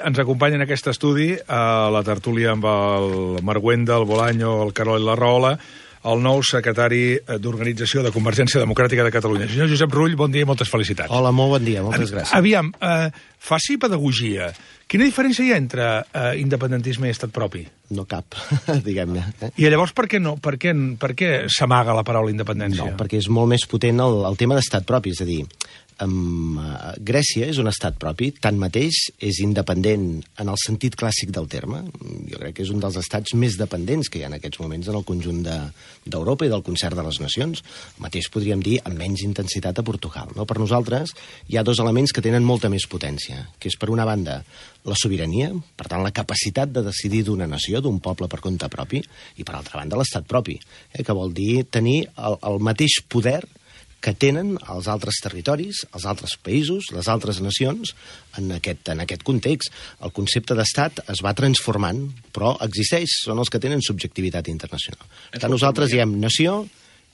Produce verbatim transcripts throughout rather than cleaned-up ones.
Ens acompanya en aquest estudi a la tertúlia amb el Marguenda, el Bolaño, el Carol i la Rahola, el nou secretari d'Organització de Convergència Democràtica de Catalunya. Senyor Josep Rull, bon dia i moltes felicitats. Hola, molt bon dia, moltes gràcies. Aviam, eh, faci pedagogia. Quina diferència hi ha entre eh, independentisme i estat propi? No cap, diguem-ne. Eh? I llavors per què no? Per què, per què s'amaga la paraula independència? No, perquè és molt més potent el, el tema d'estat propi, és a dir, Um, uh, Grècia és un estat propi, tanmateix és independent en el sentit clàssic del terme. Jo crec que és un dels estats més dependents que hi ha en aquests moments en el conjunt d'Europa de, i del concert de les nacions. El mateix podríem dir amb menys intensitat a Portugal. No? Per nosaltres hi ha dos elements que tenen molta més potència, que és per una banda la sobirania, per tant la capacitat de decidir d'una nació, d'un poble per compte propi, i per altra banda l'estat propi, eh, que vol dir tenir el, el mateix poder que tenen els altres territoris, els altres països, les altres nacions, en aquest, en aquest context. El concepte d'estat es va transformant, però existeix, són els que tenen subjectivitat internacional. Per tant, nosaltres diem nació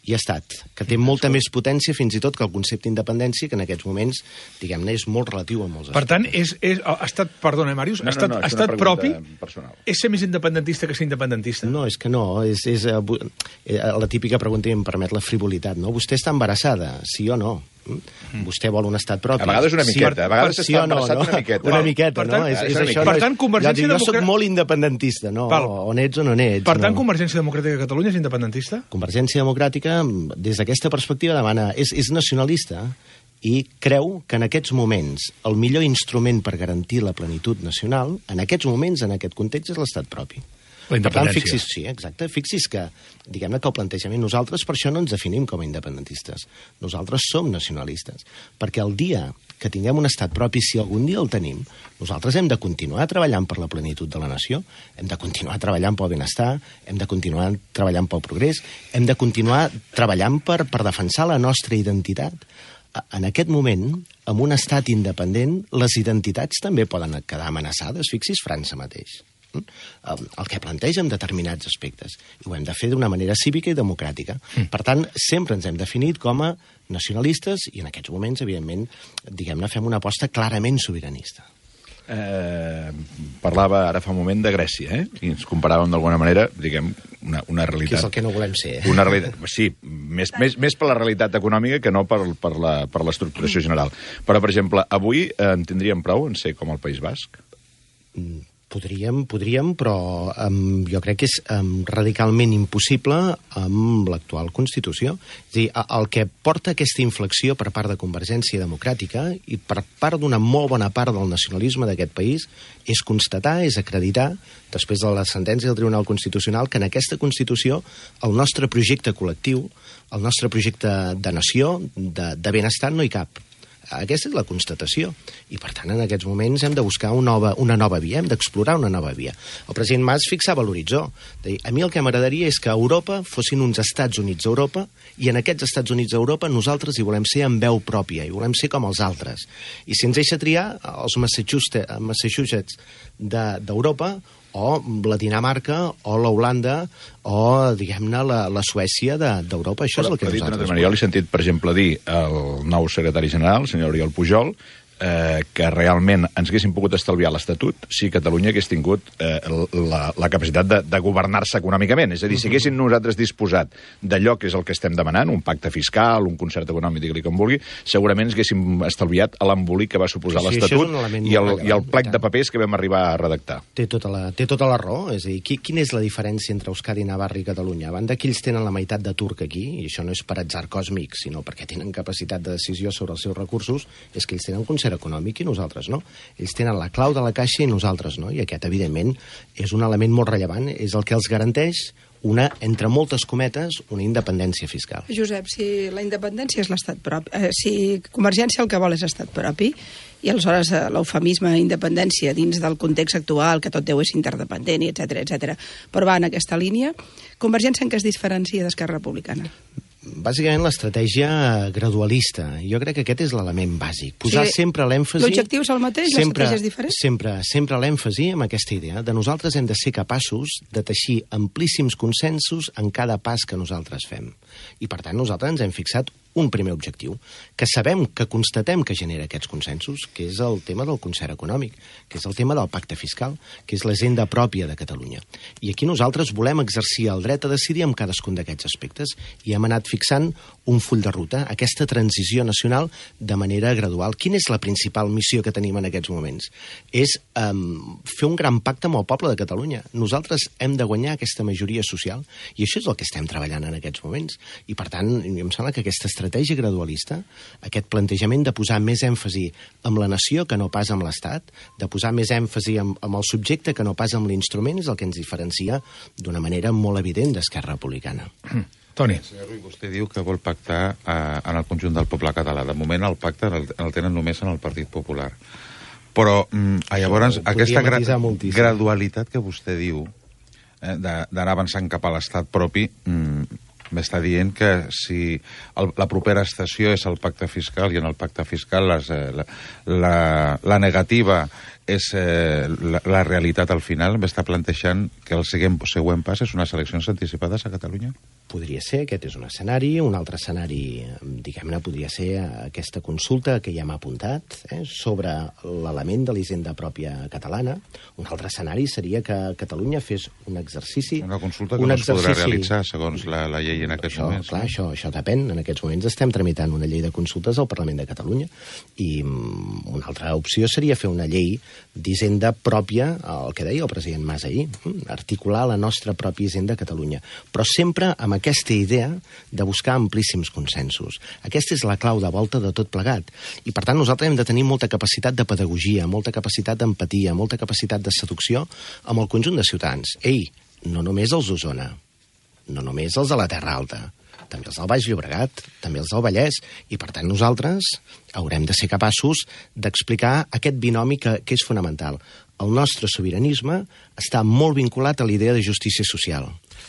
i estat, que té molta més potència fins i tot que el concepte d'independència, que en aquests moments, diguem-ne, és molt relatiu a molts aspectes. Per tant, és, és, estat, perdona, Màrius, no, estat, no, no, estat propi personal. És ser més independentista que ser independentista? No, és que no, és, és eh, la típica pregunta i em permet la frivolitat, no? Vostè està embarassada, sí o no? Mm. Vostè vol un estat propi. A vegades una miqueta, sí, a vegades sí està no, embarassat no? una miqueta. Una miqueta, per tant, no? És, és és això, per tant, Convergència jo, jo soc Democràtica... molt independentista, no? Val. O n'ets o no n'ets. Per tant, no? Convergència Democràtica de Catalunya és independentista? Convergència Democràtica, des d'aquesta perspectiva, demana, és, és nacionalista i creu que en aquests moments el millor instrument per garantir la plenitud nacional, en aquests moments, en aquest context, és l'estat propi. La independència. Per tant, fixis, sí, exacte. Fixis que, diguem-ne que el plantejament, nosaltres per això no ens definim com a independentistes. Nosaltres som nacionalistes. Perquè el dia que tinguem un estat propi, si algun dia el tenim, nosaltres hem de continuar treballant per la plenitud de la nació, hem de continuar treballant pel benestar, hem de continuar treballant pel progrés, hem de continuar treballant per, per defensar la nostra identitat. En aquest moment, amb un estat independent, les identitats també poden quedar amenaçades. Fixis França mateix. El que planteja en determinats aspectes. I ho hem de fer d'una manera cívica i democràtica. Mm. Per tant, sempre ens hem definit com a nacionalistes i en aquests moments, evidentment, diguem-ne, fem una aposta clarament sobiranista. Eh, parlava ara fa un moment de Grècia, eh? I ens comparàvem d'alguna manera, diguem, una, una realitat... Que és el que no volem ser, eh? Una realitat, sí, més, més, més per la realitat econòmica que no per, per la, per l'estructuració general. Però, per exemple, avui eh, en tindríem prou en ser com el País Basc? Mm. Podríem, podríem, però um, jo crec que és um, radicalment impossible amb l'actual Constitució. És a dir, el que porta aquesta inflexió per part de Convergència Democràtica i per part d'una molt bona part del nacionalisme d'aquest país és constatar, és acreditar, després de la sentència del Tribunal Constitucional, que en aquesta Constitució el nostre projecte col·lectiu, el nostre projecte de nació, de, de benestar, no hi cap. Aquesta és la constatació. I, per tant, en aquests moments hem de buscar una nova, una nova via, hem d'explorar una nova via. El president Mas fixava l'horitzó. A mi el que m'agradaria és que a Europa fossin uns Estats Units a Europa i en aquests Estats Units a Europa nosaltres hi volem ser amb veu pròpia, i volem ser com els altres. I si ens deixa triar, els Massachusetts, Massachusetts d'Europa, o la Dinamarca, o la Holanda, o, diguem-ne, la, la Suècia d'Europa. Això però, és el que nosaltres... Jo l'he sentit, per exemple, dir al nou secretari general, el senyor Oriol Pujol, eh, que realment ens haguéssim pogut estalviar l'Estatut si Catalunya hagués tingut eh, la, la capacitat de, de governar-se econòmicament. És a dir, si haguéssim nosaltres disposat d'allò que és el que estem demanant, un pacte fiscal, un concert econòmic, digue-li com vulgui, segurament ens haguéssim estalviat l'embolic que va suposar sí, l'Estatut i, el, i el plec tant. de papers que vam arribar a redactar. Té tota la, té tota la raó. És a dir, qui, quina és la diferència entre Euskadi, Navarra i Catalunya? A banda que ells tenen la meitat d'atur que aquí, i això no és per atzar còsmic, sinó perquè tenen capacitat de decisió sobre els seus recursos, és que ells tenen un concert econòmic i nosaltres no. Ells tenen la clau de la caixa i nosaltres no. I aquest, evidentment, és un element molt rellevant. És el que els garanteix una, entre moltes cometes, una independència fiscal. Josep, si la independència és l'estat propi, eh, si Convergència el que vol és estat propi, i aleshores eh, l'eufemisme independència dins del context actual, que tot deu és interdependent, etcètera, etcètera, però va en aquesta línia, Convergència en què es diferencia d'Esquerra Republicana? Bàsicament l'estratègia gradualista. Jo crec que aquest és l'element bàsic. Posar sí, sempre l'èmfasi... L'objectiu és el mateix, l'estratègia és diferent? Sempre, sempre l'èmfasi amb aquesta idea de nosaltres hem de ser capaços de teixir amplíssims consensos en cada pas que nosaltres fem. I, per tant, nosaltres ens hem fixat un primer objectiu, que sabem, que constatem que genera aquests consensos, que és el tema del concert econòmic, que és el tema del pacte fiscal, que és l'agenda pròpia de Catalunya. I aquí nosaltres volem exercir el dret a decidir en cadascun d'aquests aspectes i hem anat fixant un full de ruta, aquesta transició nacional de manera gradual. Quina és la principal missió que tenim en aquests moments? És um, fer un gran pacte amb el poble de Catalunya. Nosaltres hem de guanyar aquesta majoria social i això és el que estem treballant en aquests moments. I per tant, em sembla que aquesta estratègia gradualista, aquest plantejament de posar més èmfasi amb la nació que no pas amb l'Estat, de posar més èmfasi amb, amb el subjecte que no pas amb l'instrument, és el que ens diferencia d'una manera molt evident d'Esquerra Republicana. Toni. Senyor Rull, vostè diu que vol pactar eh, en el conjunt del poble català. De moment el pacte el, el tenen només en el Partit Popular. Però mm, llavors aquesta gra gradualitat que vostè diu eh, d'anar avançant cap a l'estat propi mm, m'està dient que si el, la propera estació és el pacte fiscal i en el pacte fiscal les, eh, la, la, la negativa és eh, la, la realitat al final, m'està plantejant que el següent, següent pas és unes eleccions anticipades a Catalunya? Podria ser, aquest és un escenari. Un altre escenari, diguem-ne, podria ser aquesta consulta que ja m'ha apuntat eh, sobre l'element de l'hisenda pròpia catalana. Un altre escenari seria que Catalunya fes un exercici... Una consulta que un no exercici... es podrà realitzar segons la, la llei en aquests això, moments. Clar, no? això, això depèn. En aquests moments estem tramitant una llei de consultes al Parlament de Catalunya i um, una altra opció seria fer una llei d'hisenda pròpia, el que deia el president Mas ahir, articular la nostra pròpia hisenda a Catalunya, però sempre amb aquesta idea de buscar amplíssims consensos. Aquesta és la clau de volta de tot plegat. I, per tant, nosaltres hem de tenir molta capacitat de pedagogia, molta capacitat d'empatia, molta capacitat de seducció amb el conjunt de ciutadans. Ei, no només els d'Osona, no només els de la Terra Alta, també els del Baix Llobregat, també els del Vallès, i per tant nosaltres haurem de ser capaços d'explicar aquest binomi que, que és fonamental. El nostre sobiranisme està molt vinculat a l'idea de justícia social,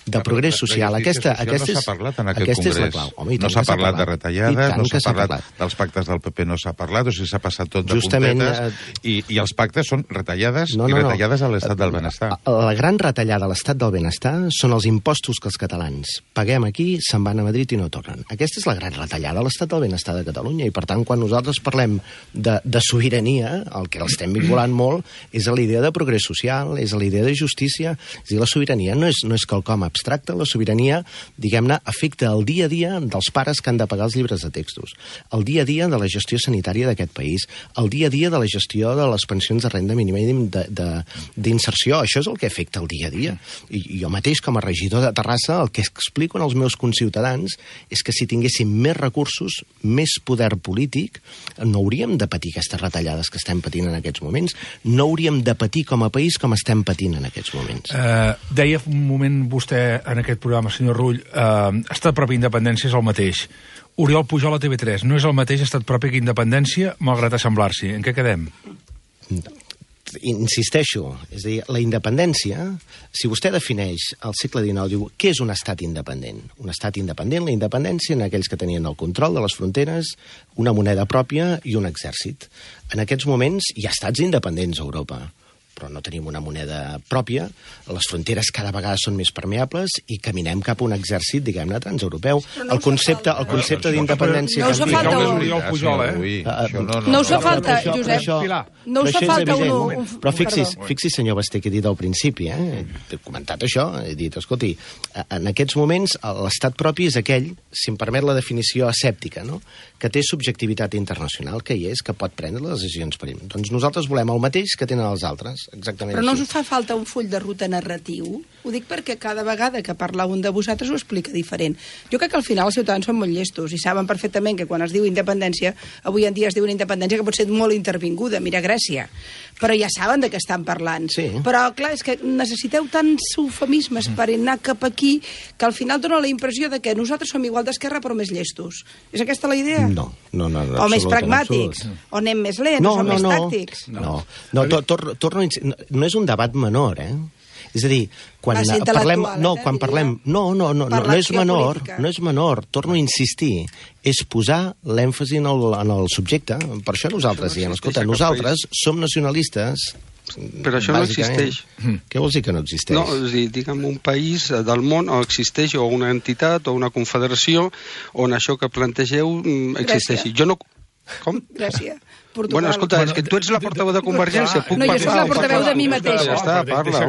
de progrés social. Aquesta, aquesta no s'ha parlat en aquest aquesta congrés. És la clau. Home, no s'ha parlat, parlat de retallades, no s'ha parlat, parlat dels pactes del P P, no s'ha parlat, o sigui, s'ha passat tot de Justament, puntetes, eh... i, i els pactes són retallades no, no, i retallades no. a l'estat del benestar. La gran retallada a l'estat del benestar són els impostos que els catalans paguem aquí, se'n van a Madrid i no tornen. Aquesta és la gran retallada a l'estat del benestar de Catalunya, i per tant, quan nosaltres parlem de, de sobirania, el que l'estem vinculant molt és a l'idea de progrés social, és a l'idea de justícia. És a dir, la sobirania no és, no és quelcom abstracte, la sobirania, diguem-ne, afecta el dia a dia dels pares que han de pagar els llibres de textos, el dia a dia de la gestió sanitària d'aquest país, el dia a dia de la gestió de les pensions de renda mínima d'inserció. Això és el que afecta el dia a dia. I jo mateix, com a regidor de Terrassa, el que explico als meus conciutadans és que si tinguéssim més recursos, més poder polític, no hauríem de patir aquestes retallades que estem patint en aquests moments, no hauríem de patir com a país com estem patint en aquests moments. Uh, deia un moment vostè en aquest programa, senyor Rull, uh, estat propi i independència és el mateix. Oriol Pujol a T V tres, no és el mateix estat propi que independència, malgrat assemblar-s'hi. En què quedem? Insisteixo, és a dir, la independència, si vostè defineix al segle dinou, diu, què és un estat independent? Un estat independent, la independència en aquells que tenien el control de les fronteres, una moneda pròpia i un exèrcit. En aquests moments hi ha estats independents a Europa, però no tenim una moneda pròpia, les fronteres cada vegada són més permeables i caminem cap a un exèrcit, diguem-ne, transeuropeu. No el concepte, el concepte d'independència... No us fa falta un... No us fa falta, Josep, no us fa falta un... Però fixis, fixis, senyor Basté, que he dit al principi, eh? he comentat això, he dit, escolti, en aquests moments l'estat propi és aquell, si em permet la definició asèptica, no? Que té subjectivitat internacional, que hi és, que pot prendre les decisions per ell. Doncs nosaltres volem el mateix que tenen els altres. Exactament. Però no així. us fa falta un full de ruta narratiu? Ho dic perquè cada vegada que parla un de vosaltres ho explica diferent. Jo crec que al final els ciutadans són molt llestos i saben perfectament que quan es diu independència, avui en dia es diu una independència que pot ser molt intervinguda, mira Grècia, però ja saben de què estan parlant. Sí. Però, clar, és que necessiteu tants eufemismes per anar cap aquí que al final dona la impressió de que nosaltres som igual d'esquerra però més llestos. És aquesta la idea? No, no, no. O més pragmàtics, o anem més lents, no, o no, més no. tàctics. No, no, no tor torno a no, no és un debat menor, eh? És a dir, quan parlem... No, quan parlem... No, no, no, no, no és menor, no és menor, torno a insistir, és posar l'èmfasi en, el, en el subjecte. Per això nosaltres diem, escolta, nosaltres som nacionalistes Però això no existeix. Què vols dir que no existeix? No, és a dir, diguem, un país del món on existeix o una entitat o una confederació on això que plantegeu existeixi. Jo no... Com? Gràcia. Portugal. Bueno, escolta, és que tu ets la portaveu de Convergència. Puc no, jo soc la portaveu de mi mateixa. Ja està, parla.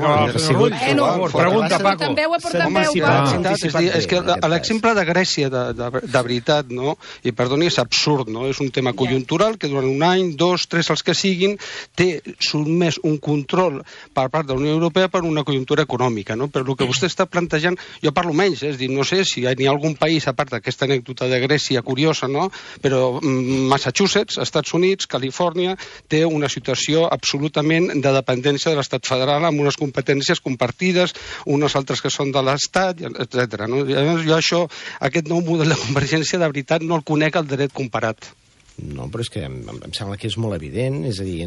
Pregunta, Paco. Aportant veu, aportant veu. És que l'exemple de Grècia, de veritat, no? I perdoni, és absurd, no? És un tema conjuntural que durant un any, dos, tres, els que siguin, té sotmès un control per part de la Unió Europea per una conjuntura econòmica, no? Però el que vostè està plantejant, jo parlo menys, és dir, no sé si hi ha algun país, a part d'aquesta anècdota de Grècia curiosa, no? Però Massachusetts, Estats Units, Califòrnia, té una situació absolutament de dependència de l'estat federal amb unes competències compartides, unes altres que són de l'estat, etcètera. No? Jo això, aquest nou model de convergència, de veritat, no el conec al dret comparat. No, però és que em, em sembla que és molt evident. És a dir,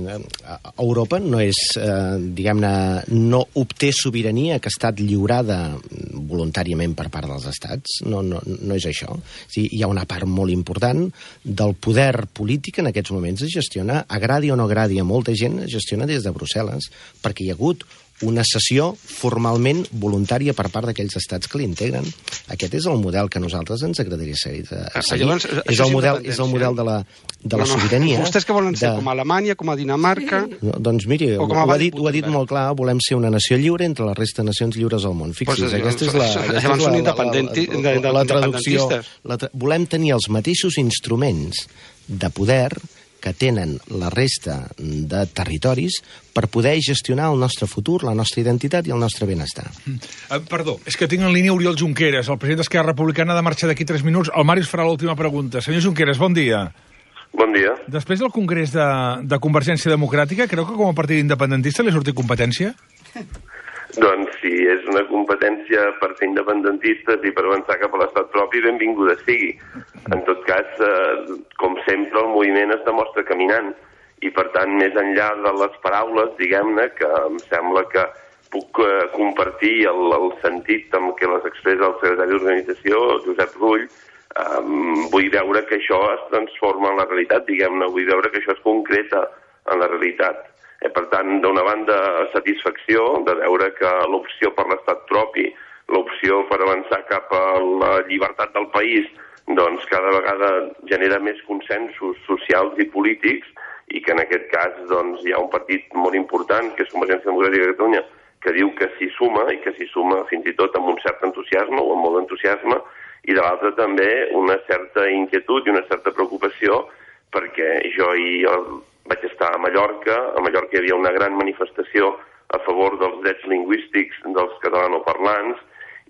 Europa no és, eh, diguem-ne, no obté sobirania que ha estat lliurada voluntàriament per part dels estats. No, no, no és això. És dir, hi ha una part molt important del poder polític en aquests moments es gestiona, agradi o no agradi a molta gent, es gestiona des de Brussel·les, perquè hi ha hagut una cessió formalment voluntària per part d'aquells estats que l'integren. Aquest és el model que a nosaltres ens agradaria seguir. Llavors, és, el model, és el model de la, de la sobirania. No, no. Vostès que volen ser de... com a Alemanya, com a Dinamarca... No, doncs miri, ho ha, dit, ho ha dit molt clar, volem ser una nació lliure entre la resta de nacions lliures del món. Fixi's, pues, aquesta és la, aquesta és la, la, la, la, la traducció. La tra... Volem tenir els mateixos instruments de poder que tenen la resta de territoris per poder gestionar el nostre futur, la nostra identitat i el nostre benestar. Mm. Uh, perdó, és que tinc en línia Oriol Junqueras, el president d'Esquerra Republicana, ha de marxar d'aquí tres minuts. El Màrius farà l'última pregunta. Senyor Junqueras, bon dia. Bon dia. Després del Congrés de, de Convergència Democràtica, creu que com a partit independentista li ha sortit competència? Doncs si és una competència per ser independentistes i per avançar cap a l'estat propi, benvinguda sigui. En tot cas, eh, com sempre, el moviment es demostra caminant. I, per tant, més enllà de les paraules, diguem-ne, que em sembla que puc eh, compartir el, el sentit amb què les expressa el secretari d'Organització, Josep Rull, eh, vull veure que això es transforma en la realitat, diguem-ne, vull veure que això es concreta en la realitat. Eh, per tant, d'una banda, satisfacció de veure que l'opció per l'estat propi, l'opció per avançar cap a la llibertat del país, doncs cada vegada genera més consensos socials i polítics i que en aquest cas doncs, hi ha un partit molt important, que és Convergència Democràtica de Catalunya, que diu que s'hi suma i que s'hi suma fins i tot amb un cert entusiasme o amb molt d'entusiasme, i de l'altra també una certa inquietud i una certa preocupació perquè jo hi vaig estar a Mallorca, a Mallorca hi havia una gran manifestació a favor dels drets lingüístics dels catalanoparlants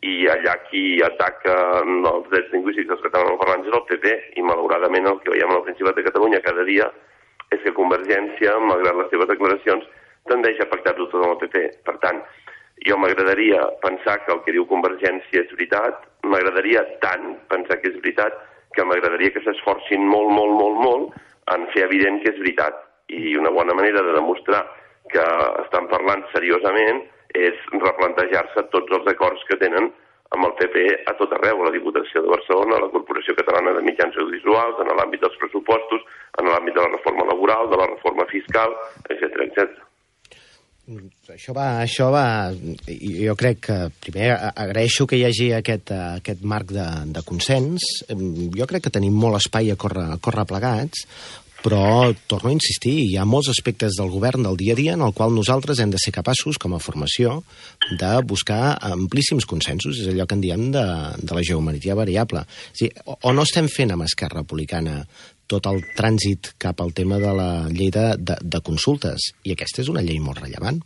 i allà qui ataca els drets lingüístics dels catalanoparlants és el P P i malauradament el que veiem al Principat de Catalunya cada dia és que Convergència, malgrat les seves declaracions, tendeix a pactar-ho tot amb el P P. Per tant, jo m'agradaria pensar que el que diu Convergència és veritat, m'agradaria tant pensar que és veritat que m'agradaria que s'esforcin molt, molt, molt, molt en fer evident que és veritat. I una bona manera de demostrar que estan parlant seriosament és replantejar-se tots els acords que tenen amb el P P a tot arreu, a la Diputació de Barcelona, a la Corporació Catalana de Mitjans Audiovisuals, en l'àmbit dels pressupostos, en l'àmbit de la reforma laboral, de la reforma fiscal, etcètera, etcètera. Això va, això va... Jo crec que, primer, agraeixo que hi hagi aquest, aquest marc de, de consens. Jo crec que tenim molt espai a córrer, a córrer plegats, però, torno a insistir, hi ha molts aspectes del govern del dia a dia en el qual nosaltres hem de ser capaços, com a formació, de buscar amplíssims consensos. És allò que en diem de, de la geometria variable. És a dir, o, o no estem fent amb Esquerra Republicana tot el trànsit cap al tema de la llei de, de, de consultes, i aquesta és una llei molt rellevant,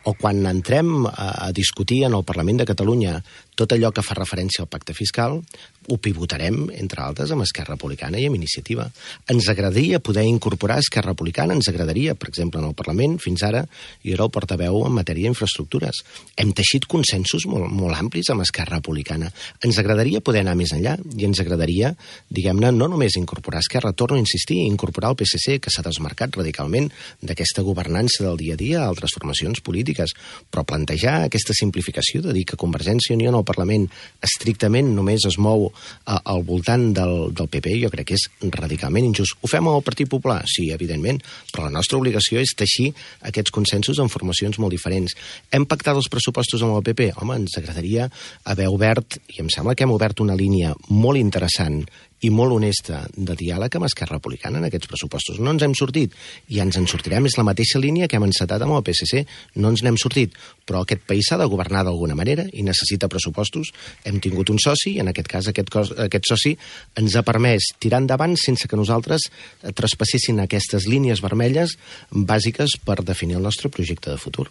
o quan entrem a, a discutir en el Parlament de Catalunya tot allò que fa referència al pacte fiscal, ho pivotarem, entre altres, amb Esquerra Republicana i amb Iniciativa. Ens agradaria poder incorporar Esquerra Republicana, ens agradaria, per exemple, en el Parlament, fins ara, jo era el portaveu en matèria d'infraestructures. Hem teixit consensos molt, molt amplis amb Esquerra Republicana. Ens agradaria poder anar més enllà, i ens agradaria, diguem-ne, no només incorporar Esquerra, torno torno a insistir, incorporar el P S C, que s'ha desmarcat radicalment d'aquesta governança del dia a dia a altres formacions polítiques, però plantejar aquesta simplificació de dir que Convergència i Unió en el Parlament estrictament només es mou a, al voltant del, del P P, jo crec que és radicalment injust. Ho fem al Partit Popular? Sí, evidentment, però la nostra obligació és teixir aquests consensos en formacions molt diferents. Hem pactat els pressupostos amb el P P? Home, ens agradaria haver obert, i em sembla que hem obert una línia molt interessant i molt honesta de diàleg amb Esquerra Republicana en aquests pressupostos. No ens hem sortit, i ens en sortirem. És la mateixa línia que hem encetat amb el P S C. No ens n'hem sortit, però aquest país s'ha de governar d'alguna manera i necessita pressupostos. Hem tingut un soci, i en aquest cas aquest, cos, aquest soci ens ha permès tirar endavant sense que nosaltres traspassessin aquestes línies vermelles bàsiques per definir el nostre projecte de futur.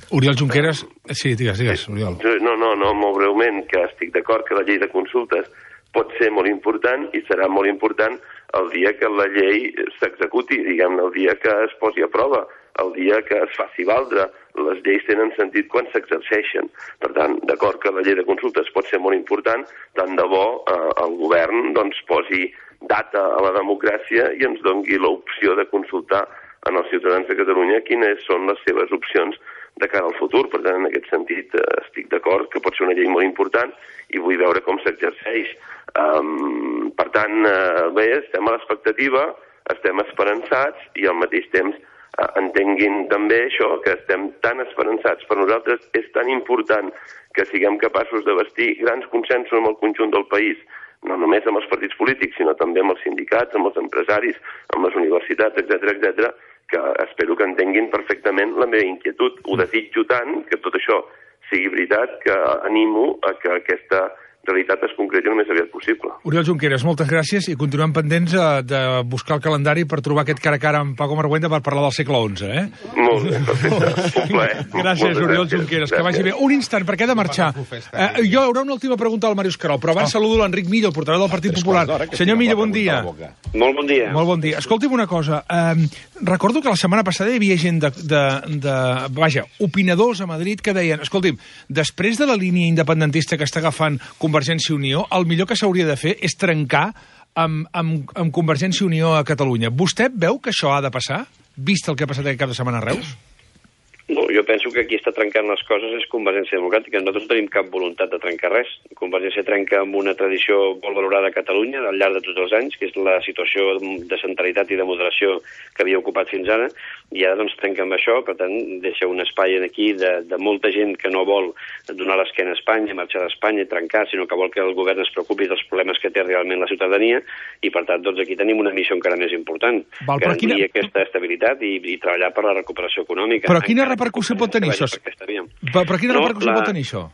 Oriol Junqueras... Sí, digues, digues, Oriol. No, no, no, molt breument, que estic d'acord que la llei de consultes pot ser molt important i serà molt important el dia que la llei s'executi, diguem-ne, el dia que es posi a prova, el dia que es faci valdre. Les lleis tenen sentit quan s'exerceixen. Per tant, d'acord que la llei de consultes pot ser molt important, tant de bo eh, el govern doncs, posi data a la democràcia i ens doni l'opció de consultar en els ciutadans de Catalunya quines són les seves opcions de cara al futur. Per tant, en aquest sentit, eh, estic d'acord que pot ser una llei molt important i vull veure com s'exerceix. Um, per tant, eh, bé, estem a l'expectativa, estem esperançats i al mateix temps eh, entenguin també això, que estem tan esperançats. Per nosaltres és tan important que siguem capaços de bastir grans consensos amb el conjunt del país, no només amb els partits polítics, sinó també amb els sindicats, amb els empresaris, amb les universitats, etcètera, etcètera, que espero que entenguin perfectament la meva inquietud. Ho desitjo tant que tot això sigui veritat, que animo a que aquesta realitat es concreti el més aviat possible. Oriol Junqueras, moltes gràcies i continuem pendents uh, de buscar el calendari per trobar aquest cara a cara amb Paco Marguenda per parlar del segle onze, eh? Molt bé, perfecte. Un plaer. Gràcies, Oriol Junqueras, que vagi bé. Un instant, perquè he de marxar. Uh, jo haurà una última pregunta al Màrius Querol, però abans saludo l'Enric Millo, el portaveu del Partit Popular. Senyor Millo, bon dia. Molt bon dia. Molt bon dia. Escolti'm una cosa. Um, recordo que la setmana passada hi havia gent de, de, de... Vaja, opinadors a Madrid que deien, escolti'm, després de la línia independentista que està agafant Convergència i Unió, el millor que s'hauria de fer és trencar amb, amb, amb Convergència i Unió a Catalunya. Vostè veu que això ha de passar, vist el que ha passat aquest cap de setmana a Reus? No, jo penso que qui està trencant les coses és Convergència Democràtica. Nosaltres no tenim cap voluntat de trencar res. Convergència trenca amb una tradició molt valorada a Catalunya al llarg de tots els anys, que és la situació de centralitat i de moderació que havia ocupat fins ara, i ara doncs trenca amb això, per tant deixa un espai aquí de, de molta gent que no vol donar l'esquena a Espanya, marxar d'Espanya i trencar, sinó que vol que el govern es preocupi dels problemes que té realment la ciutadania, i per tant doncs aquí tenim una missió encara més important, Val, garantir quina... aquesta estabilitat i, i treballar per la recuperació econòmica. Però quina repercussió pot tenir això? Però, però quina no, repercussió la... pot tenir això?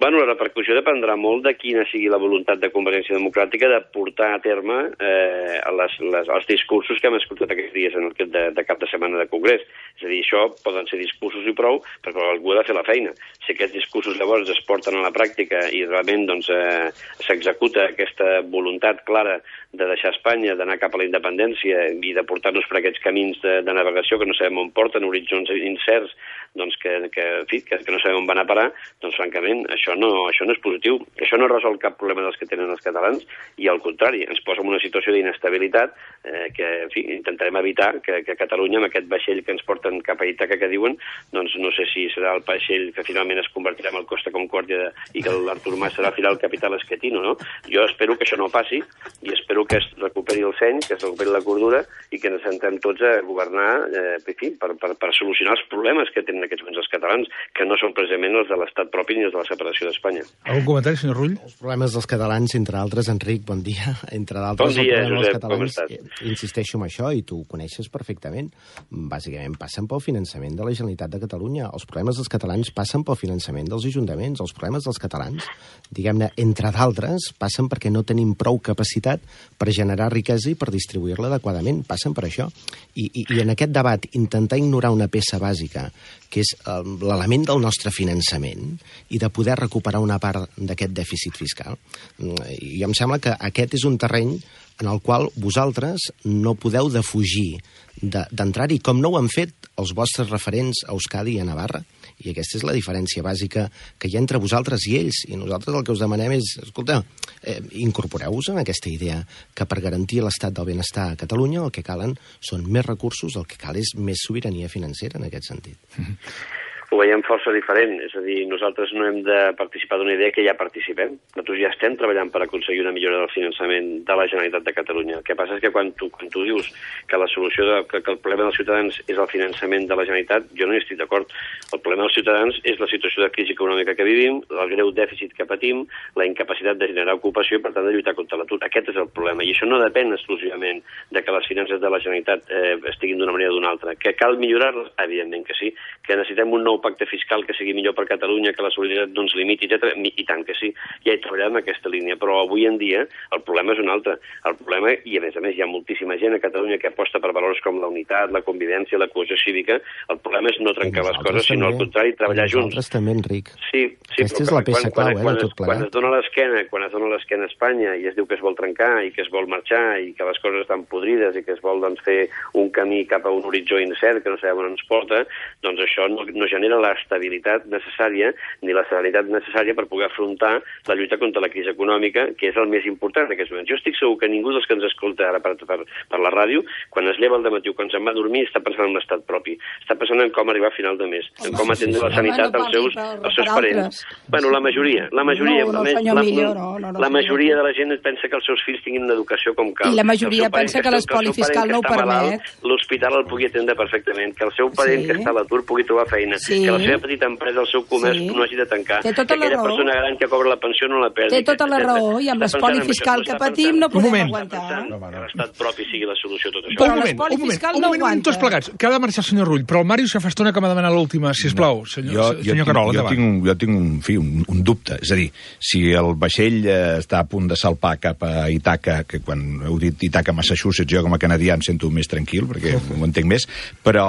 Bueno, la repercussió dependrà molt de quina sigui la voluntat de Convergència Democràtica de portar a terme eh, les, les, els discursos que hem escoltat aquests dies en el de, de cap de setmana de Congrés. És a dir, això poden ser discursos i prou, però algú ha de fer la feina. Si aquests discursos llavors es porten a la pràctica i realment doncs, eh, s'executa aquesta voluntat clara de deixar Espanya, d'anar cap a la independència i de portar-nos per aquests camins de, de navegació que no sabem on porten, horitzons incerts, doncs que, que, en fi, que, que no sabem on van a parar, doncs francament això no, això no és positiu. Això no resol cap problema dels que tenen els catalans i al contrari, ens posa en una situació d'inestabilitat eh, que en fi, intentarem evitar que, que Catalunya, amb aquest vaixell que ens porten cap a Ítaca que diuen, doncs no sé si serà el vaixell que finalment es convertirà en el Costa Concòrdia i que l'Artur Mas serà al final el capital esquetino, no? Jo espero que això no passi i espero que es recuperi el seny, que es recuperi la cordura i que ens sentem tots a governar eh, en fi, per, per, per solucionar els problemes que tenen en aquests moments els catalans, que no són precisament els de l'estat propi ni els de la separació d'Espanya. Algun comentari, senyor Rull? Els problemes dels catalans, entre altres, Enric, bon dia, entre d'altres, bon dia, els Josep, catalans, eh, insisteixo en això, i tu ho coneixes perfectament, bàsicament passen pel finançament de la Generalitat de Catalunya. Els problemes dels catalans passen pel finançament dels ajuntaments. Els problemes dels catalans, diguem-ne, entre d'altres, passen perquè no tenim prou capacitat per generar riquesa i per distribuir-la adequadament. Passen per això. I, i, I en aquest debat, intentar ignorar una peça bàsica, que és eh, l'element del nostre finançament, i de poder recuperar una part d'aquest dèficit fiscal. I em sembla que aquest és un terreny en el qual vosaltres no podeu defugir d'entrar-hi, com no ho han fet els vostres referents a Euskadi i a Navarra. I aquesta és la diferència bàsica que hi ha entre vosaltres i ells. I nosaltres el que us demanem és, escolta, eh, incorporeu-vos en aquesta idea que per garantir l'estat del benestar a Catalunya el que calen són més recursos, el que cal és més sobirania financera en aquest sentit. Mm-hmm. Ho veiem força diferent, és a dir, nosaltres no hem de participar d'una idea que ja participem. Nosaltres ja estem treballant per aconseguir una millora del finançament de la Generalitat de Catalunya. El que passa és que quan tu, quan tu dius que la solució, de, que, que el problema dels ciutadans és el finançament de la Generalitat, jo no hi estic d'acord. El problema dels ciutadans és la situació de crisi econòmica que vivim, el greu dèficit que patim, la incapacitat de generar ocupació i, per tant, de lluitar contra l'atur. Aquest és el problema, i això no depèn exclusivament de que les finances de la Generalitat eh, estiguin d'una manera o d'una altra. Que cal millorar-les? Evidentment que sí. Que necessitem un nou pacte fiscal que sigui millor per Catalunya, que la solidaritat no ens limiti, etcètera. I tant que sí, ja hi treballarem en aquesta línia, però avui en dia el problema és un altre. El problema, i a més a més hi ha moltíssima gent a Catalunya que aposta per valors com la unitat, la convivència, la cohesió cívica, el problema és no trencar les coses, sinó al contrari, treballar junts. Nosaltres també, Enric. Sí, sí, aquesta és la peça clau, eh, de tot plegat. Quan es dona l'esquena, quan es dona l'esquena a Espanya i es diu que es vol trencar i que es vol marxar i que les coses estan podrides i que es vol doncs, fer un camí cap a un horitzó incert que no sabem on ens porta, doncs això no, no genera l'estabilitat necessària ni la serenitat necessària per poder afrontar la lluita contra la crisi econòmica, que és el més important en aquests moments. Jo estic segur que ningú dels que ens escolta ara per, per, per la ràdio, quan es lleva al dematí o quan se'n va a dormir, està pensant en l'estat propi. Està pensant en com arribar a final de mes, en com atendre la sanitat als seus, als seus parents. Bueno, la majoria, la majoria, no, no, la, senyor la, Millo, no, no, no, la majoria de la gent pensa que els seus fills tinguin una educació com cal. I la majoria pensa que l'espoli fiscal no ho permet. L'hospital el pugui atendre perfectament, que el seu parent que està a l'atur pugui trobar feina, que la seva petita empresa, el seu comerç, sí, no hagi de tancar, que aquella persona gran que cobra la pensió no la perdi. Té tota la raó, i amb l'espoli fiscal que patim no podem aguantar. Que l'estat propi sigui la solució a tot això. Però l'espoli fiscal no aguanta. Tots plegats, que ha de marxar el senyor Rull, però el Màrius ja fa estona que m'ha demanat l'última, sisplau, senyor, senyor Carol, jo tinc, jo tinc un, fi, un, un dubte, és a dir, si el vaixell eh, està a punt de salpar cap a Itaca, que quan heu dit Itaca, Massachusetts, jo com a canadià em sento més tranquil, perquè ho entenc més, però,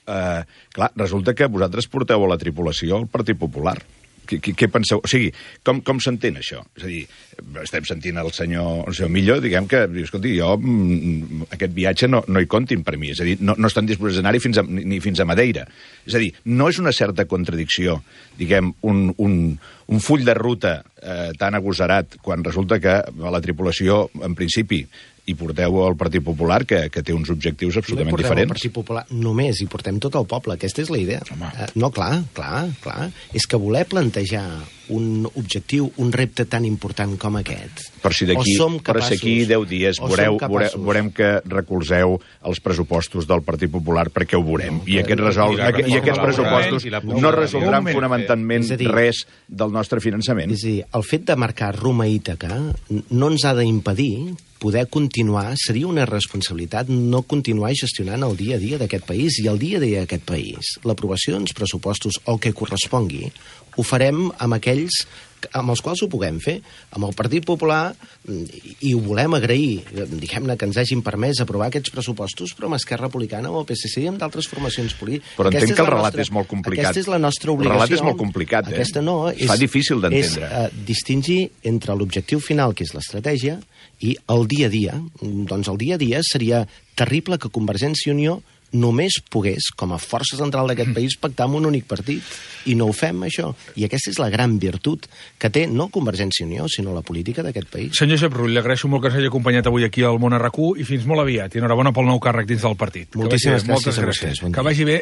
eh, clar, resulta que vosaltres porteu a la tripulació el Partit Popular. Què, què, què penseu? O sigui, com, com s'entén això? És a dir, estem sentint el senyor, el senyor Millo, diguem que, escolti, jo aquest viatge no, no hi comptin per mi, és a dir, no, no estan disposats a anar-hi fins a, ni fins a Madeira. És a dir, no és una certa contradicció, diguem, un, un, un full de ruta eh, tan agosarat quan resulta que a la tripulació, en principi, i porteu el Partit Popular, que, que té uns objectius absolutament no diferents. El Partit Popular només, hi portem tot el poble. Aquesta és la idea. Uh, no, clar, clar, clar. És que voler plantejar un objectiu, un repte tan important com aquest... Per si d'aquí si deu dies veureu, veurem, veurem que recolzeu els pressupostos del Partit Popular, perquè ho veurem. No, I, aquest resol, i, i aquests pressupostos no resoldran fonamentalment dir, res del nostre finançament. És a dir, el fet de marcar rumb a Ítaca no ens ha d'impedir poder continuar, seria una responsabilitat no continuar gestionant el dia a dia d'aquest país, i el dia a dia d'aquest país, l'aprovació d'uns pressupostos o que correspongui, ho farem amb aquells amb els quals ho puguem fer. Amb el Partit Popular, i ho volem agrair, diguem-ne que ens hagin permès aprovar aquests pressupostos, però amb Esquerra Republicana o el P S C i amb d'altres formacions polítiques. Però entenc que el relat nostra, és molt complicat. Aquesta és la nostra obligació. El relat és molt complicat, eh? Aquesta no, és, fa difícil d'entendre. És uh, distingir entre l'objectiu final, que és l'estratègia, i el dia a dia. Doncs el dia a dia seria terrible que Convergència i Unió només pogués, com a força central d'aquest país, pactar amb un únic partit. I no ho fem, això. I aquesta és la gran virtut que té no Convergència i Unió, sinó la política d'aquest país. Senyor Josep Rull, li agraeixo molt que ens hagi acompanyat avui aquí al Món a RAC u i fins molt aviat. I enhorabona pel nou càrrec dins del partit. Moltíssimes gràcies. Moltes gràcies. Que vagi bé.